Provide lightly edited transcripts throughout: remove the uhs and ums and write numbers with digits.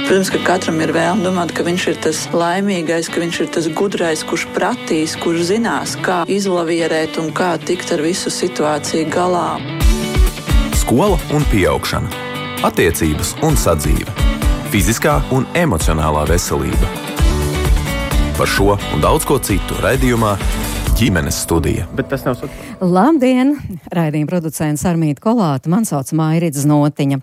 Protams, ka katram ir vēlme domāt, ka viņš ir tas laimīgais, ka viņš ir tas gudrais, kurš pratīs, kurš zinās, kā izlavierēt un kā tikt ar visu situāciju galā. Skola un pieaugšana, attiecības un sadzīve, fiziskā un emocionālā veselība. Par šo un daudz ko citu raidījumā Ģimenes studija. Bet tas nav saka. Labdien! Raidījuma producents Armīta Kolāta, man sauc Mairits Znotiņa.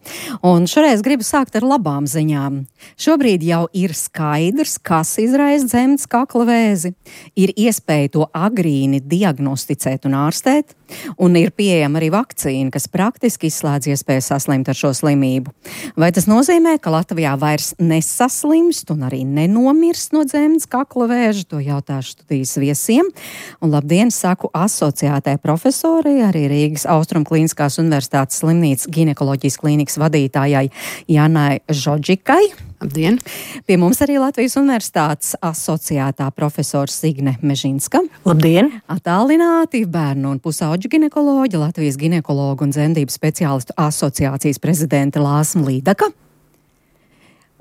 Un šoreiz gribu sākt ar labām ziņām. Šobrīd jau ir skaidrs, kas izraisa dzemdes kakla vēzi. Ir iespēja to agrīni diagnosticēt un ārstēt, un ir pieejama arī vakcīna, kas praktiski izslēdz iespēju saslimt ar šo slimību. Vai tas nozīmē, ka Latvijā vairs nesaslimst un arī nenomirst no dzemdes kakla vēža? To jautāšu studijas viesiem. Un labdien, saku asociētai profesorai, arī Rīgas Austrumklīniskās universitātes slimnīcas ginekoloģijas klīnikas vadītājai Janai Žodžikai. Labdien! Pie mums arī Latvijas Universitātes asociētā profesora Signe Mežinska. Labdien! Attālināti bērnu un pusauģu ginekoloģa, Latvijas ginekologu un dzemdību speciālistu asociācijas prezidente Lāsma Līdaka.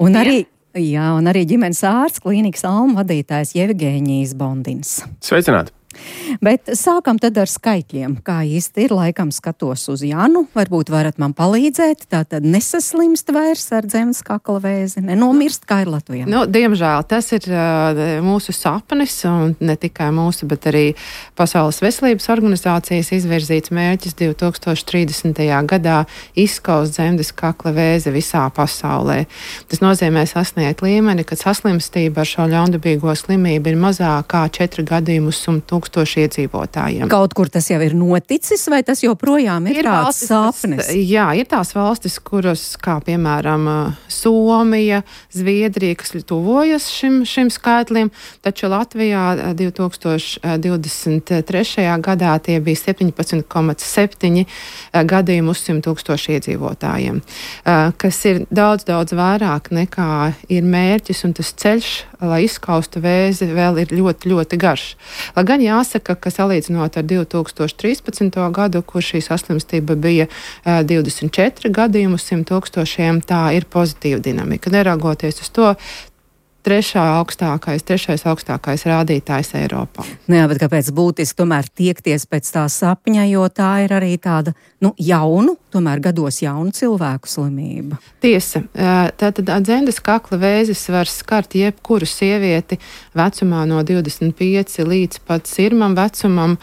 Un arī ģimenes ārsts, klīnikas Alma vadītājs Jevgeņijs Bondins. Sveicināti! Bet sākam tad ar skaitļiem. Kā īsti ir, laikam skatos uz Janu, varbūt varat man palīdzēt, tātad nesaslimst vairs ar dzemdes kakla vēzi, nenomirst, kā ir Latvijā? Diemžēl tas ir mūsu sapnis, un ne tikai mūsu, bet arī Pasaules veselības organizācijas izvirzīts mērķis 2030. gadā izskaust dzemdes kakla vēzi visā pasaulē. Tas nozīmē sasniegt līmeni, kad saslimstība ar šo ļaundabīgo slimību ir mazāk kā 4 gadījumus 100 000 iedzīvotājiem. Kaut kur tas jau ir noticis, vai tas joprojām ir tāds sapnis? Jā, ir tās valstis, kuras, kā piemēram Somija, Zviedrija, kas tuvojas šim skaitlim, taču Latvijā 2023. gadā tie bija 17,7 gadījumu uz 100 000 iedzīvotājiem, kas ir daudz vairāk nekā ir mērķis, un tas ceļš, lai izskaustu vēzi, vēl ir ļoti, ļoti garš. Lai gan jāsaka, ka salīdzinot ar 2013. gadu, kur šī saslimstība bija 24 gadījumu 100 000, tā ir pozitīva dinamika. Neraugoties uz to, trešais augstākais rādītājs Eiropā. Jā, bet kāpēc būtiski tomēr tiekties pēc tā sapņa, jo tā ir arī tāda, jaunu, tomēr gados jaunu cilvēku slimība? Tiesa. Tātad dzemdes kakla vēzis var skart jebkuru sievieti vecumā no 25 līdz pat sirmam vecumam,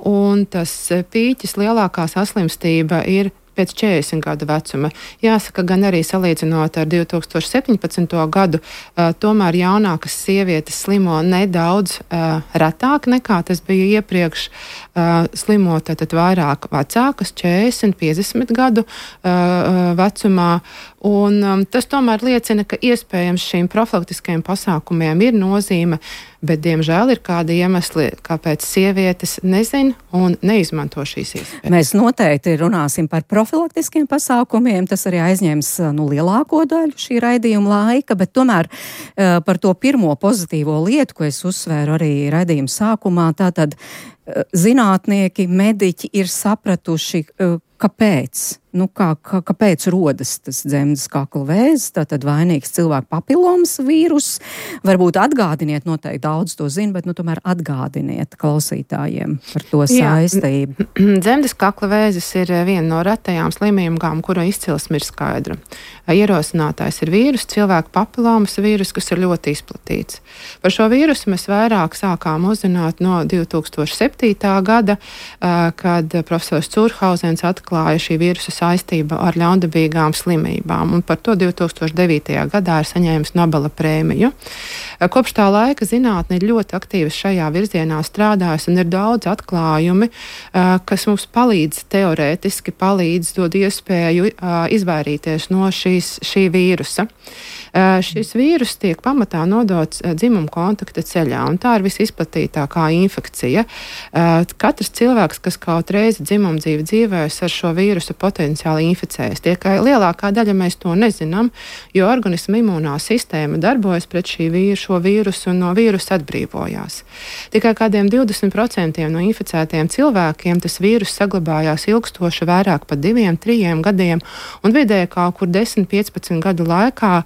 un tas pīķis lielākā saslimstība ir pēc 40 gadu vecuma. Jāsaka, gan arī salīdzinot ar 2017. gadu, tomēr jaunākas sievietes slimo nedaudz retāk nekā tas bija iepriekš. Slimo tātad vairāk vecākas, 40, 50 gadu vecumā. Un tas tomēr liecina, ka iespējams šīm profilaktiskajiem pasākumiem ir nozīme, bet diemžēl ir kādi iemesli, kāpēc sievietes nezin un neizmanto šīs iespējas. Mēs noteikti runāsim par profilaktiskiem pasākumiem, tas arī aizņems lielāko daļu šī raidījuma laika, bet tomēr par to pirmo pozitīvo lietu, ko es uzsvēru arī raidījuma sākumā, tātad zinātnieki, mediķi ir sapratuši, kāpēc. Kāpēc rodas tas dzemdes kakla vēzis, tātad vainīgs cilvēku papilomas vīrus? Varbūt atgādiniet, noteikti daudz to zina, bet tomēr atgādiniet klausītājiem par to saistību. Dzemdes kakla vēzis ir viena no retajām slimībām, kura izcelsme ir skaidra. Ierosinātājs ir vīrus, cilvēku papilomas vīrus, kas ir ļoti izplatīts. Par šo vīrusu mēs vairāk sākām uzzināt no 2007. gada, kad profesors Curhauzens atklāja šī vīrusa saistība ar ļaundabīgām slimībām, un par to 2009. gadā ir saņēmis Nobela prēmiju. Kopš tā laika zinātne ir ļoti aktīvi šajā virzienā strādājusi, un ir daudz atklājumi, kas mums teorētiski palīdz, dod iespēju izvairīties no šī vīrusa. Šis vīrus tiek pamatā nodots dzimuma kontakta ceļā, un tā ir visizplatītākā infekcija. Katrs cilvēks, kas kaut reizi dzimumdzīvi dzīvējas ar šo vīrusu potenciālu potenciāli inficējas. Tikai lielākā daļa mēs to nezinām, jo organisma imūnā sistēma darbojas pret šo vīrusu un no vīrusa atbrīvojās. Tikai kādiem 20% no inficētiem cilvēkiem tas vīrus saglabājās ilgstoši vairāk par 2-3 gadiem, un vidēji kaut kur 10-15 gadu laikā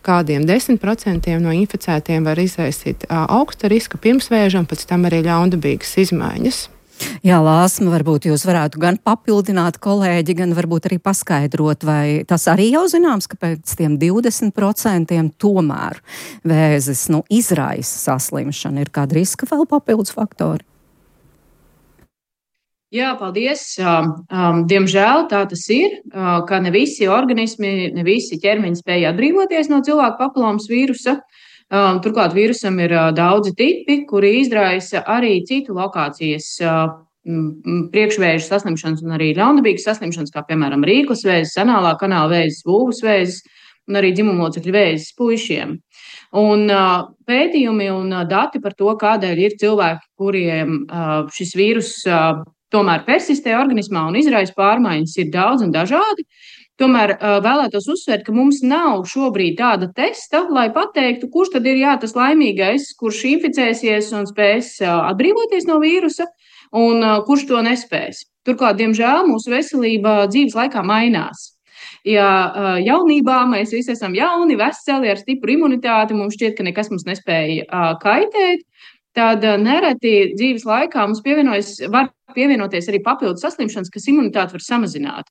kādiem 10% no inficētiem var izraisīt augsta riska pirmsvēža un pēc tam arī ļaundabīgas izmaiņas. Jā, Lāsma, varbūt jūs varētu gan papildināt kolēģi, gan varbūt arī paskaidrot, vai tas arī jau zināms, ka pēc tiem 20% tomēr vēzis izraisa saslimšanu. Ir kāda riska vēl papildus faktori? Jā, paldies. Diemžēl tā tas ir, ka ne visi organismi, ne visi ķermeņi spēja atbrīvoties no cilvēku papilomas vīrusa. Turklāt vīrusam ir daudzi tipi, kuri izraisa arī citu lokācijas priekšvēžu saslimšanas un arī ļaundabīgas saslimšanas, kā piemēram rīklas vēzis, anālā kanāla vēzis, vulvas vēzis un arī dzimumlocekļu vēzis puišiem. Un pētījumi un dati par to, kādēļ ir cilvēki, kuriem šis vīrus tomēr persistē organismā un izraisa pārmaiņas, ir daudz un dažādi. Tomēr vēlētos uzsvērt, ka mums nav šobrīd tāda testa, lai pateiktu, kurš tad ir tas laimīgais, kurš inficēsies un spēs atbrīvoties no vīrusa, un kurš to nespēs. Turklāt, diemžēl, mūsu veselība dzīves laikā mainās. Ja jaunībā mēs visi esam jauni, veseli, ar stipru imunitāti, mums šķiet, ka nekas mums nespēja kaitēt, tad nereti dzīves laikā mums var pievienoties arī papildus saslimšanas, kas imunitāti var samazināt.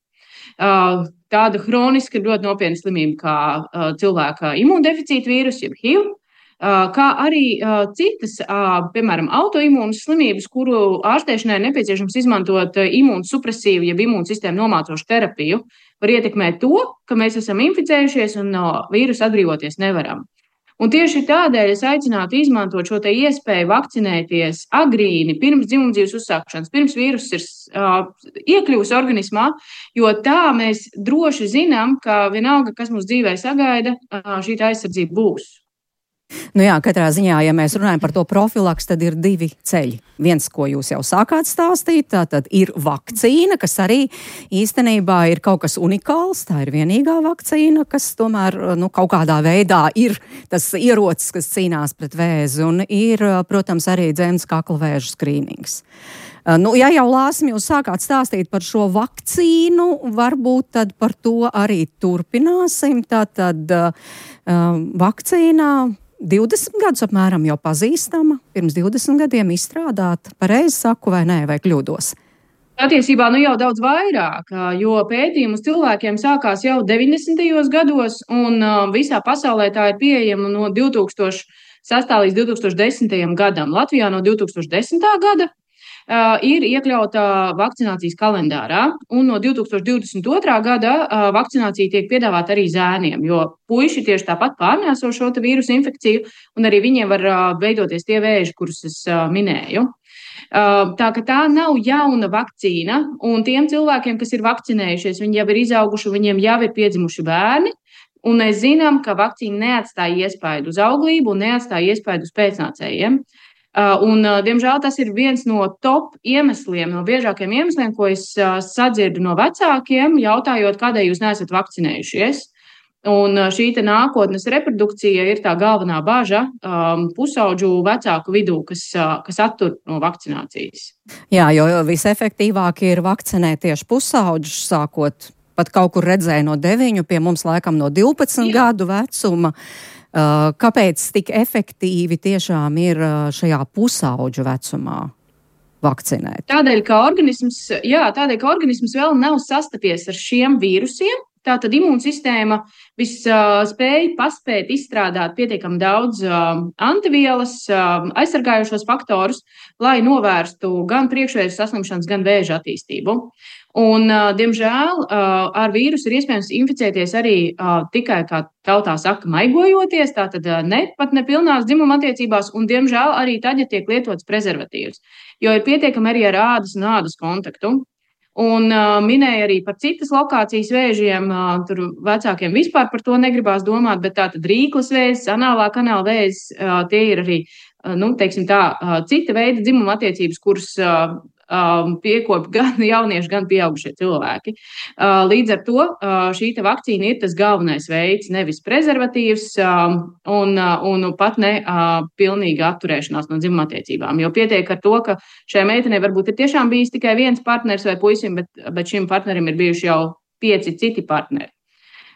Tāda hroniska, ļoti nopietna slimība kā cilvēka imūndeficīta vīrusu, jeb HIV, kā arī citas, piemēram, autoimūnas slimības, kuru ārstēšanai nepieciešams izmantot imūnsupresīvu, jeb imūnsistēmu nomācošu terapiju, var ietekmēt to, ka mēs esam inficējušies un no vīrusa atbrīvoties nevaram. Un tieši tādēļ es aicinātu izmantot šo te iespēju vakcinēties agrīni, pirms dzimumdzīves uzsākšanas, pirms vīruss ir iekļuvis organismā, jo tā mēs droši zinām, ka vienalga, kas mūsu dzīvē sagaida, šī aizsardzība būs. Jā, katrā ziņā, ja mēs runājam par to profilaks, tad ir divi ceļi. Viens, ko jūs jau sākāt stāstīt, tātad ir vakcīna, kas arī īstenībā ir kaut kas unikāls. Tā ir vienīgā vakcīna, kas tomēr kaut kādā veidā ir tas ierocis, kas cīnās pret vēzi, un ir, protams, arī dzemdes kakla vēža skrīnings. Ja jau Lāsmi jūs sākāt stāstīt par šo vakcīnu, varbūt tad par to arī turpināsim. Tātad vakcīnā 20 gadus apmēram jau pazīstama, pirms 20 gadiem izstrādāta, pareizi saku vai nē, vai kļūdos? Patiesībā jau daudz vairāk, jo pētījumi uz cilvēkiem sākās jau 90. gados, un visā pasaulē tā ir pieejama no 2006. līdz 2010. gadam. Latvijā no 2010. gada ir iekļauta vakcinācijas kalendārā, un no 2022. gada vakcinācija tiek piedāvāta arī zēniem, jo puiši tieši tāpat pārnēso šo vīrusu infekciju, un arī viņiem var veidoties tie vēži, kurus es minēju. Tā ka tā nav jauna vakcīna, un tiem cilvēkiem, kas ir vakcinējušies, viņi jau ir izauguši, viņiem jau ir piedzimuši bērni, un mēs zinām, ka vakcīna neatstāja iespaidu uz auglību un neatstāja iespaidu uz pēcnācējiem. Un, diemžēl, tas ir viens no top iemesliem, no biežākiem iemesliem, ko es sadzirdu no vecākiem, jautājot, kādēļ jūs neesat vakcinējušies. Un šī nākotnes reprodukcija ir tā galvenā baža pusaudžu vecāku vidū, kas attur no vakcinācijas. Jā, jo visefektīvāk ir vakcinēt tieši pusaudžus, sākot pat kaut kur redzēju no 9, pie mums laikam no 12 gadu vecuma. Kāpēc tik efektīvi tiešām ir šajā pusaudžu vecumā vakcinēt? Tādēļ, ka organisms vēl nav sastapies ar šiem vīrusiem. Tātad imūnsistēma spēj paspēt izstrādāt pietiekami daudz antivielas, aizsargājošos faktorus, lai novērstu gan priekšvēža saslimšanas, gan vēža attīstību. Un, diemžēl, ar vīrusu ir iespējams inficēties arī tikai, kā tautā saka, maigojoties, tātad pat nepilnās dzimuma attiecībās, un, diemžēl, arī tad, ja tiek lietots prezervatīvs, jo ir pietiekami arī ar ādas un ādas kontaktu. Un minēja arī par citas lokācijas vēžiem, tur vecākiem vispār par to negribās domāt, bet tātad rīklas vēzis, anālā kanāla vēzis, tie ir arī, cita veida dzimuma attiecības, kuras piekop gan jaunieši, gan pieaugušie cilvēki. Līdz ar to šī vakcīna ir tas galvenais veids, nevis prezervatīvs un pat ne pilnīga atturēšanās no dzimumattiecībām. Jo pietiek ar to, ka šai meitenei varbūt ir tiešām bijis tikai viens partners vai puisim, bet šim partnerim ir bijuši jau 5 citi partneri.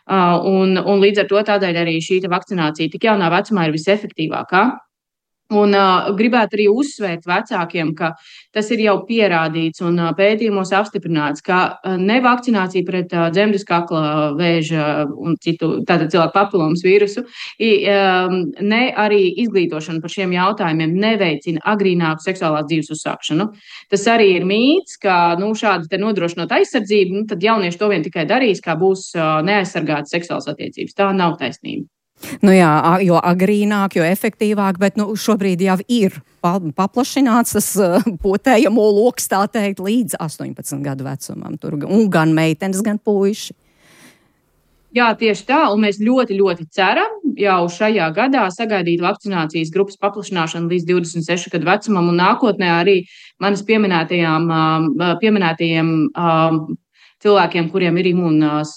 Un līdz ar to tādēļ arī šī vakcinācija tik jaunā vecumā ir visefektīvākā. Un gribētu arī uzsvērt vecākiem, ka tas ir jau pierādīts un pētījumos apstiprināts, ka ne vakcinācija pret dzemdes kakla vēža un citu tātad cilvēku papilomas vīrusu, ne arī izglītošana par šiem jautājumiem neveicina agrīnāku seksuālās dzīves uzsākšanu. Tas arī ir mīts, ka šādi te nodrošinot aizsardzību, tad jaunieši to vien tikai darīs, kā būs neaizsargātas seksuālas attiecības. Tā nav taisnība. Jā, jo agrīnāk, jo efektīvāk, bet šobrīd jau ir paplašināts tas potējamo loks, tā teikt, līdz 18 gadu vecumam. Tur gan meitenes, gan puiši. Jā, tieši tā, un mēs ļoti, ļoti ceram jau šajā gadā sagaidīt vakcinācijas grupas paplašināšanu līdz 26 gadu vecumam, un nākotnē arī manis pieminētajiem cilvēkiem, kuriem ir imūnās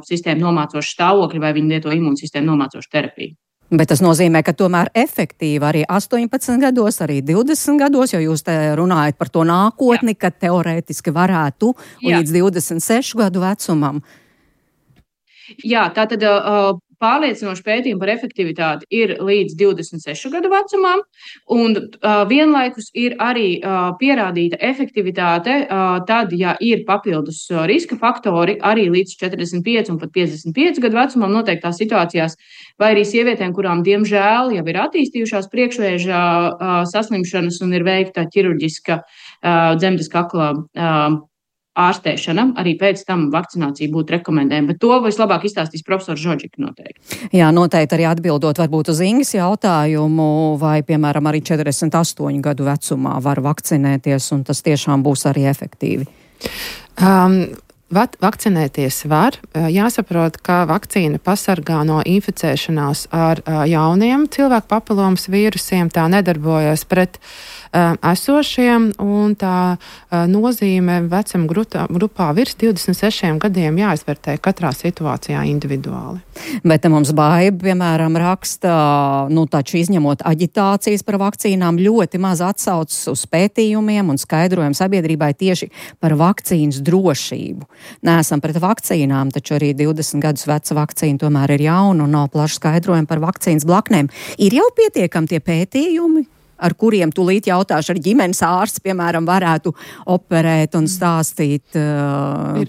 sistēma nomācoša stāvokļa vai viņi lieto imūnsistēmu nomācošu terapiju. Bet tas nozīmē, ka tomēr efektīvi arī 18 gados, arī 20 gados, jo jūs te runājat par to nākotni, ka teorētiski varētu līdz 26 gadu vecumam. Jā, tātad pārliecinoši pētījumi par efektivitāti ir līdz 26 gadu vecumam, un vienlaikus ir arī pierādīta efektivitāte tad, ja ir papildus riska faktori arī līdz 45 un pat 55 gadu vecumam noteiktās situācijās, vai arī sievietēm, kurām diemžēl jau ir attīstījušās priekšvēža saslimšanas un ir veikta ķirurģiska dzemdes kakla ārstēšana, arī pēc tam vakcinācija būtu rekomendējama, bet to vislabāk izstāstīs profesors Žodžika noteikti. Jā, noteikti arī atbildot varbūt uz Ingas jautājumu, vai, piemēram, arī 48 gadu vecumā var vakcinēties, un tas tiešām būs arī efektīvi. Vakcinēties var. Jāsaprot, ka vakcīna pasargā no inficēšanās ar jauniem cilvēku papilomas vīrusiem, tā nedarbojas pret esošiem, un tā nozīme vecuma grupā virs 26 gadiem jāizvērtē katrā situācijā individuāli. Bet mums Baiba, piemēram, raksta, taču izņemot aģitācijas par vakcīnām, ļoti maz atsaucas uz pētījumiem un skaidrojumu sabiedrībai tieši par vakcīnas drošību. Neesam pret vakcīnām, taču arī 20 gadus veca vakcīna tomēr ir jauna un nav plaši skaidrojumi par vakcīnas blaknēm. Ir jau pietiekami tie pētījumi, ar kuriem tūlīt jautāšu ar ģimenes ārsts, piemēram, varētu operēt un stāstīt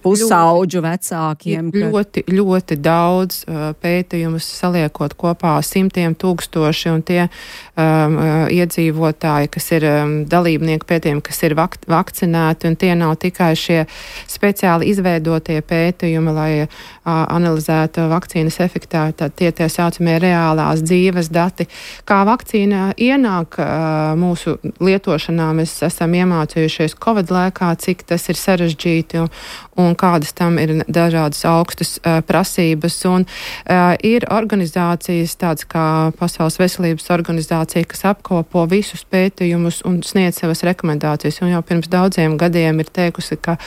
pusauģu vecākiem? Ļoti daudz pētījumus saliekot kopā 100 000 un tie iedzīvotāji, kas ir dalībnieki pētījumi, kas ir vakcinēti, un tie nav tikai šie speciāli izveidotie pētījumi, lai analizētu vakcīnas efektivitāti, tie saucamie reālās dzīves dati. Kā vakcīna ienāk mūsu lietošanā, mēs esam iemācījušies Covid laikā, cik tas ir sarežģīti un kādas tam ir dažādas augstas prasības. Un ir organizācijas, tāds kā Pasaules veselības organizācija, kas apkopo visus pētījumus un sniedz savas rekomendācijas. Un jau pirms daudziem gadiem ir teikusi, ka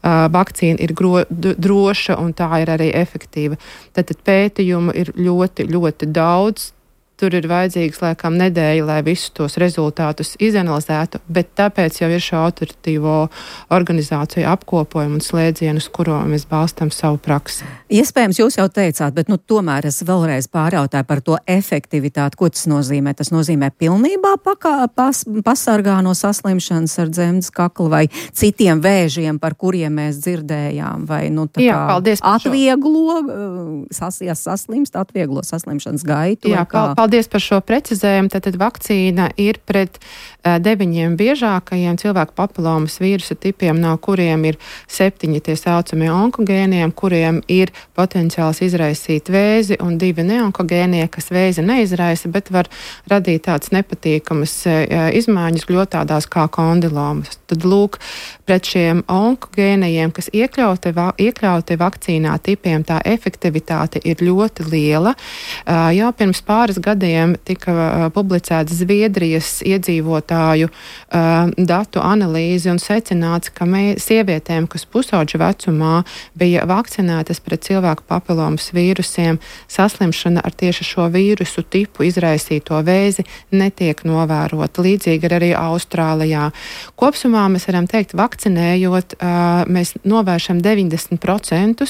vakcīna ir droša un tā ir arī efektīva. Tātad pētījumu ir ļoti, ļoti daudz. Tur ir vajadzīgs, laikam, nedēļa, lai visus tos rezultātus izanalizētu, bet tāpēc jau ir šo autoritīvo organizāciju apkopojumu un slēdzienu, uz kuro mēs balstam savu praksi. Iespējams, jūs jau teicāt, bet tomēr es vēlreiz pārjautāju par to efektivitāti. Ko tas nozīmē? Tas nozīmē pilnībā pasargā no saslimšanas ar dzemdes kaklu vai citiem vēžiem, par kuriem mēs dzirdējām, vai atvieglo saslimšanas gaitu? Jā, paldies par šo precizējumu. Tātad vakcīna ir pret 9 biežākajiem cilvēku papilomas vīrusa tipiem, no kuriem ir 7 tie saucamie onkogēniem, kuriem ir potenciāls izraisīt vēzi, un 2 neonkogēnie, kas vēzi neizraisa, bet var radīt tādas nepatīkamas izmaiņas gļotādās kā kondilomas. Tad lūk, pret šiem onkogēnajiem, kas iekļauti vakcīnā tipiem, tā efektivitāte ir ļoti liela. Jau pirms pāris gadiem gadiem tika publicēta Zviedrijas iedzīvotāju datu analīze un secināts, ka sievietēm, kas pusauģa vecumā bija vakcinētas pret cilvēku papilomas vīrusiem, saslimšana ar tieši šo vīrusu tipu izraisīto vēzi netiek novērota. Līdzīgi arī Austrālijā. Kopsumā mēs varam teikt, vakcinējot, mēs novēršam 90%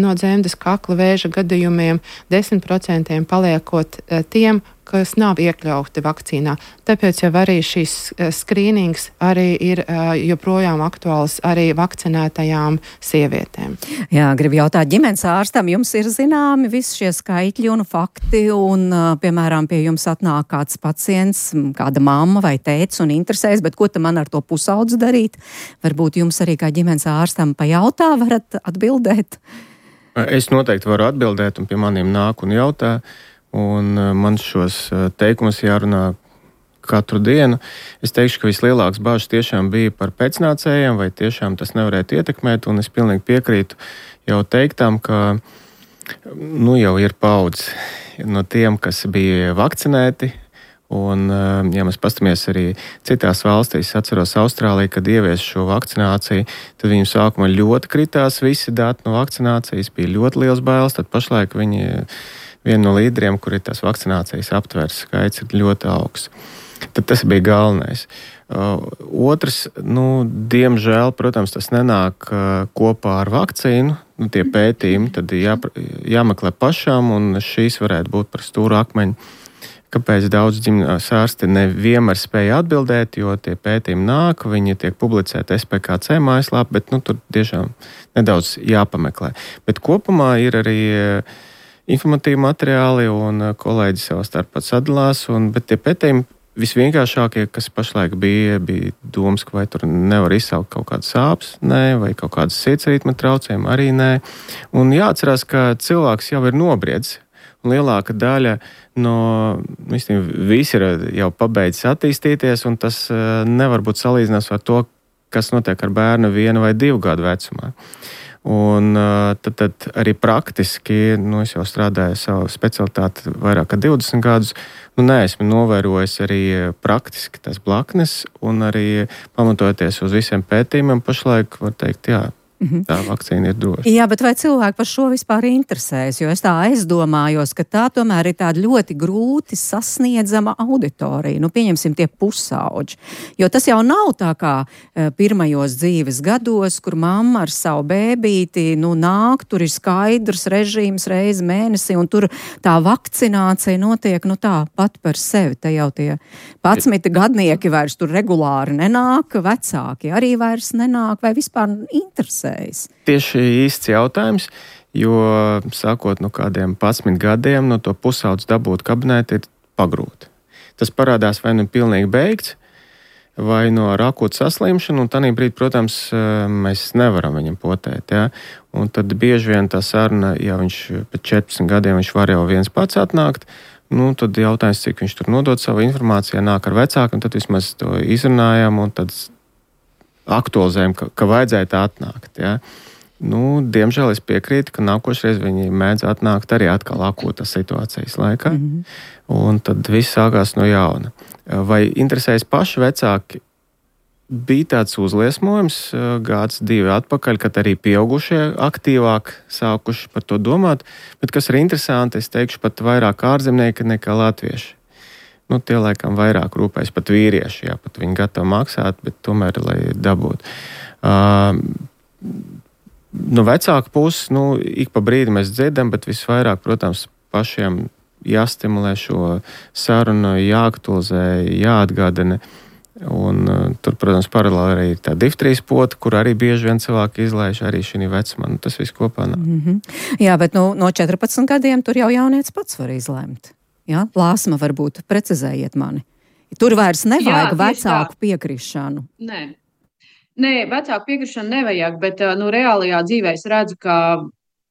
no dzemdes kakla vēža gadījumiem, 10% paliekot tiem, kas nav iekļauti vakcīnā. Tāpēc jau arī šīs skrīnings arī ir joprojām aktuāls arī vakcinētajām sievietēm. Jā, gribu jautāt ģimenes ārstam, jums ir zināmi visi šie skaitļi un fakti, un, piemēram, pie jums atnāk kāds pacients, kāda mamma vai tēts un interesēs, bet ko tam man ar to pusaudzi darīt? Varbūt jums arī kā ģimenes ārstam pajautā varat atbildēt? Es noteikti varu atbildēt, un pie maniem nāk un jautā. Un man šos teikumus jārunā katru dienu. Es teikšu, ka vislielāks bažas tiešām bija par pēcnācējiem, vai tiešām tas nevarētu ietekmēt, un es pilnīgi piekrītu jau teiktām, ka jau ir paudze no tiem, kas bija vakcinēti. Un, ja mēs pastamies arī citās valstīs, atceros Austrāliju, kad ievies šo vakcināciju, tad viņiem sākumā ļoti kritās visi dati no vakcinācijas, bija ļoti liels bailes, tad pašlaik viņi viena no līderiem, kur ir tās vakcinācijas aptvērs skaits, ir ļoti augsts. Tad tas bija galvenais. Otrs, diemžēl, protams, tas nenāk kopā ar vakcīnu, tie pētījumi, tad jāmeklē pašām, un šīs varētu būt par stūru akmeņu. Kāpēc daudz ģimenes ārsti nevienmēr spēja atbildēt, jo tie pētījumi nāk, viņi tiek publicēti SPKC mājaslapā, bet tur tiešām nedaudz jāpameklē. Bet kopumā ir arī informatīvi materiāli, un kolēģi savā starpā sadalās, bet tie pētījumi visvienkāršākie, kas pašlaik bija domas, ka vai tur nevar izsaukt kaut kādas sāpes, nē, vai kaut kādas sirdsritma traucējumi, arī nē. Un jāatcerās, ka cilvēks jau ir nobriedzis. Un lielāka daļa no visi ir jau pabeidzis attīstīties, un tas nevar būt salīdzināms ar to, kas notiek ar bērnu 1 vai 2 gadu vecumā. Un tad arī praktiski, es jau strādāju savu specialitāti vairāk kā 20 gadus, neesmu novērojis arī praktiski tās blaknes, un arī pamatojoties uz visiem pētījumiem, pašlaik var teikt, jā, tā vakcīna ir droša. Jā, bet vai cilvēki par šo vispār interesēs? Jo es tā aizdomājos, ka tā tomēr ir tāda ļoti grūti sasniedzama auditorija. Pieņemsim tie pusauģi. Jo tas jau nav tā kā pirmajos dzīves gados, kur mamma ar savu bēbīti nāk, tur ir skaidrs režīms reizi mēnesī, un tur tā vakcinācija notiek tā pat par sevi. Te jau tie 11 gadnieki vairs tur regulāri nenāk, vecāki arī vairs nenāk, vai vispār interesē. Tieši īsts jautājums, jo sākot no kādiem 11 gadiem, no to pusaudzi dabūt kabinēti ir pagrūti. Tas parādās vai pilnīgi beigts, vai no akūta saslimšana, un tādā brīdī, protams, mēs nevaram viņam potēt. Ja? Un tad bieži vien tā saruna, ja viņš pēc 14 gadiem viņš var jau viens pats atnākt, tad jautājums, cik viņš tur nodod savu informāciju, nāk ar vecākiem, tad vismaz to izrunājam, un tad aktualizējam, ka vajadzētu atnākt. Ja? Diemžēl es piekrītu, ka nākošreiz viņi mēdz atnākt arī atkal akūtas situācijas laikā, un tad viss sākās no jauna. Vai interesējas paši vecāki? Bija tāds uzliesmojums gads 2 atpakaļ, kad arī pieaugušie aktīvāk sākuši par to domāt, bet kas ir interesanti, es teikšu pat vairāk ārzemnieki nekā latvieši. Tie laikam vairāk rūpējas pat vīrieši, jā, pat viņi gatavi maksāt, bet tomēr, lai dabūtu. No vecāku puses, ik pa brīdi mēs dzirdam, bet visvairāk, protams, pašiem jāstimulē šo sarunu, jāaktualizē, jāatgādina. Un tur, protams, paralēli arī ir tā diftrijas pota, kur arī bieži vien cilvēki izlaiž arī šī vecumā. Tas viss kopā nav. Jā, bet no 14 gadiem tur jau jaunietis pats var izlemt. Ja? Lāsma varbūt precizējiet mani. Tur vairs nevajag vecāku piekrišanu. Nē, vecāku piekrišanu nevajag, bet reālajā dzīvē es redzu, ka,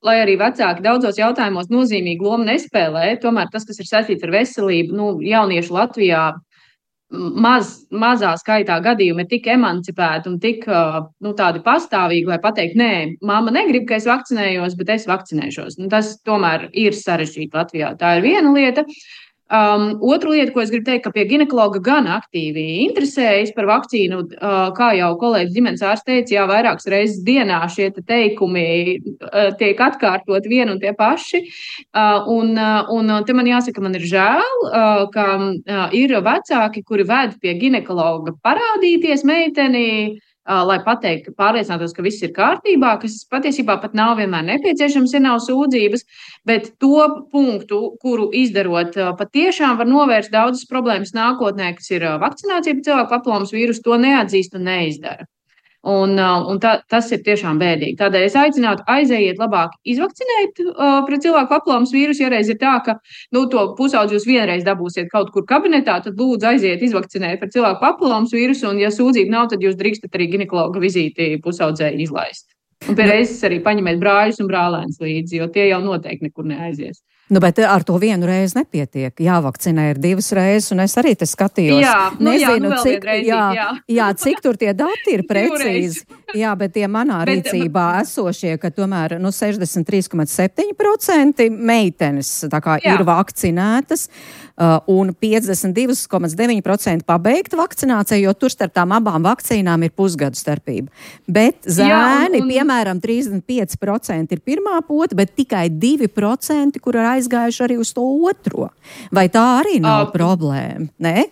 lai arī vecāki daudzos jautājumos nozīmīgu lomu nespēlē, tomēr tas, kas ir saistīts ar veselību, jaunieši Latvijā mazā skaitā gadījumi ir tik emancipēti un tik tādi pastāvīgi, lai pateikt, nē, mamma negrib, ka es vakcinējos, bet es vakcinēšos. Tas tomēr ir sarežģīti Latvijā. Tā ir viena lieta. Otra lieta, ko es gribu teikt, ka pie ginekologa gan aktīvi interesējas par vakcīnu, kā jau kolēģis ģimenes ārsts teica, jā, vairākas reizes dienā šie teikumi tiek atkārtot vien un tie paši. Un te man jāsaka, man ir žēl, ka ir vecāki, kuri ved pie ginekologa parādīties meiteni, lai pateiktu, pārliecinātos, ka viss ir kārtībā, kas patiesībā pat nav vienmēr nepieciešams, ja nav sūdzības, bet to punktu, kuru izdarot, patiešām var novērst daudzas problēmas nākotnē, kas ir vakcinācija pret cilvēku papilomas vīrusu, to neatzīst un neizdara. Tas ir tiešām bēdīgi. Tādēļ es aicinātu aizejiet labāk izvakcinēt pret cilvēku papilomas vīrusu. Ja reiz ir tā, ka to pusaudzi jūs vienreiz dabūsiet kaut kur kabinetā, tad lūdzu aiziet izvakcinēt pret cilvēku papilomas vīrusu, un ja sūdzība nav, tad jūs drīkstat arī ginekologa vizīti pusaudzēji izlaist. Un pie reizes arī paņemiet brāļus un brālēns līdzi, jo tie jau noteikti nekur neaizies. Bet ar to vienu reizi nepietiek. Jāvakcinē ir 2 reizes, un es arī te skatījos. Nezinu, cik tur tie dati ir precīzi. Jā, bet tie manā rīcībā esošie, ka tomēr 63,7% meitenes ir vakcinētas, un 52,9% pabeigta vakcinācija, jo tur starp tām abām vakcīnām ir pusgadu starpība. Bet zēni, piemēram, 35% ir pirmā pota, bet tikai 2%, kur ir aizgājuši arī uz to otro. Vai tā arī nav problēma? Ne?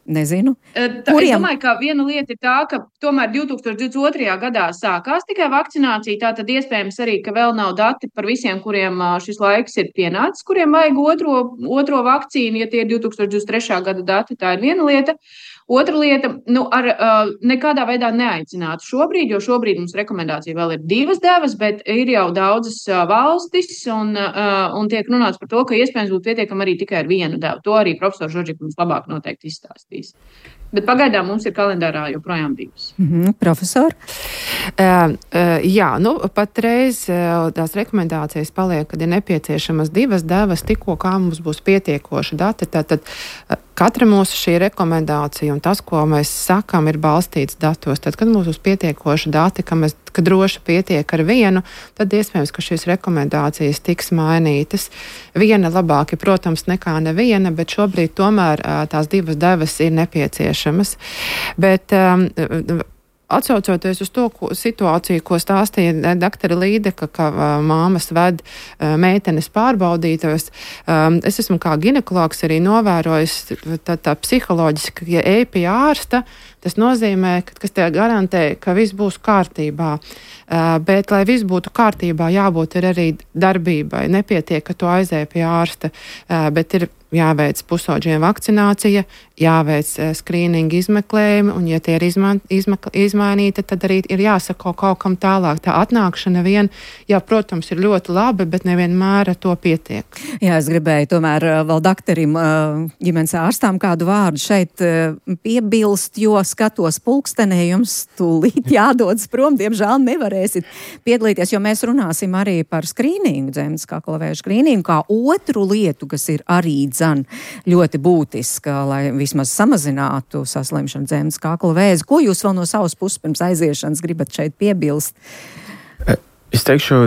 Nezinu. Es domāju, ka viena lieta ir tā, ka tomēr 2022. gadā sākās tikai vakcinācija, tātad iespējams arī, ka vēl nav dati par visiem, kuriem šis laiks ir pienācis, kuriem vajag otro vakcīnu, ja tie ir 2023. gada dati, tā ir viena lieta. Otra lieta, nekādā veidā neaicinātu šobrīd, jo šobrīd mums rekomendācija vēl ir 2 devas, bet ir jau daudzas valstis un tiek runāts par to, ka iespējams būtu pietiekami arī tikai ar 1 devu. To arī profesors Žoržik mums labāk noteikti izstāstīs. Bet pagaidām mums ir kalendārā joprojām 2. Profesor? Patreiz tās rekomendācijas paliek, kad ir nepieciešamas 2 devas, tikko kā mums būs pietiekoši dati. Tātad katra mūsu šī rekomendācija un tas, ko mēs sakam, ir balstīts datos. Tad, kad mums būs pietiekoši dati, ka droši pietiek ar 1, tad iespējams, ka šīs rekomendācijas tiks mainītas. 1 labāk ir, protams, nekā neviena, bet šobrīd tomēr tās 2 devas ir nepieciešamas. Bet atsaucoties uz to situāciju, ko stāstīja doktora Līdeka, ka māmas ved meitenes pārbaudītos, es esmu kā ginekologs arī novērojis tā psiholoģiski, ja ej pie ārsta, tas nozīmē, kas te garantē, ka viss būs kārtībā. Bet, lai viss būtu kārtībā, jābūt arī darbībai. Nepietiek, ka tu aizēj pie ārsta, bet ir jāveic pusaudžiem vakcinācija, jāveic skrīninga izmeklējumi, un ja tie ir izmainīti, tad arī ir jāsako kaut kam tālāk. Tā atnākšana protams, ir ļoti labi, bet nevienmēr ar to pietiek. Jā, es gribēju tomēr vēl doktorim ģimenes ārstām kādu vārdu šeit piebilst, jo skatos pulkstenē, jums tūlīt jādodas prom, diemžēl nevarēsit piedalīties, jo mēs runāsim arī par skrīningu, dzemdas kakla vēža skrīningu, kā otru lietu, kas ir arī ļoti būtiska, lai vismaz samazinātu saslimšanu dzemdas kakla vēzi. Ko jūs vēl no savas puses pirms aiziešanas gribat šeit piebilst? Es teikšu,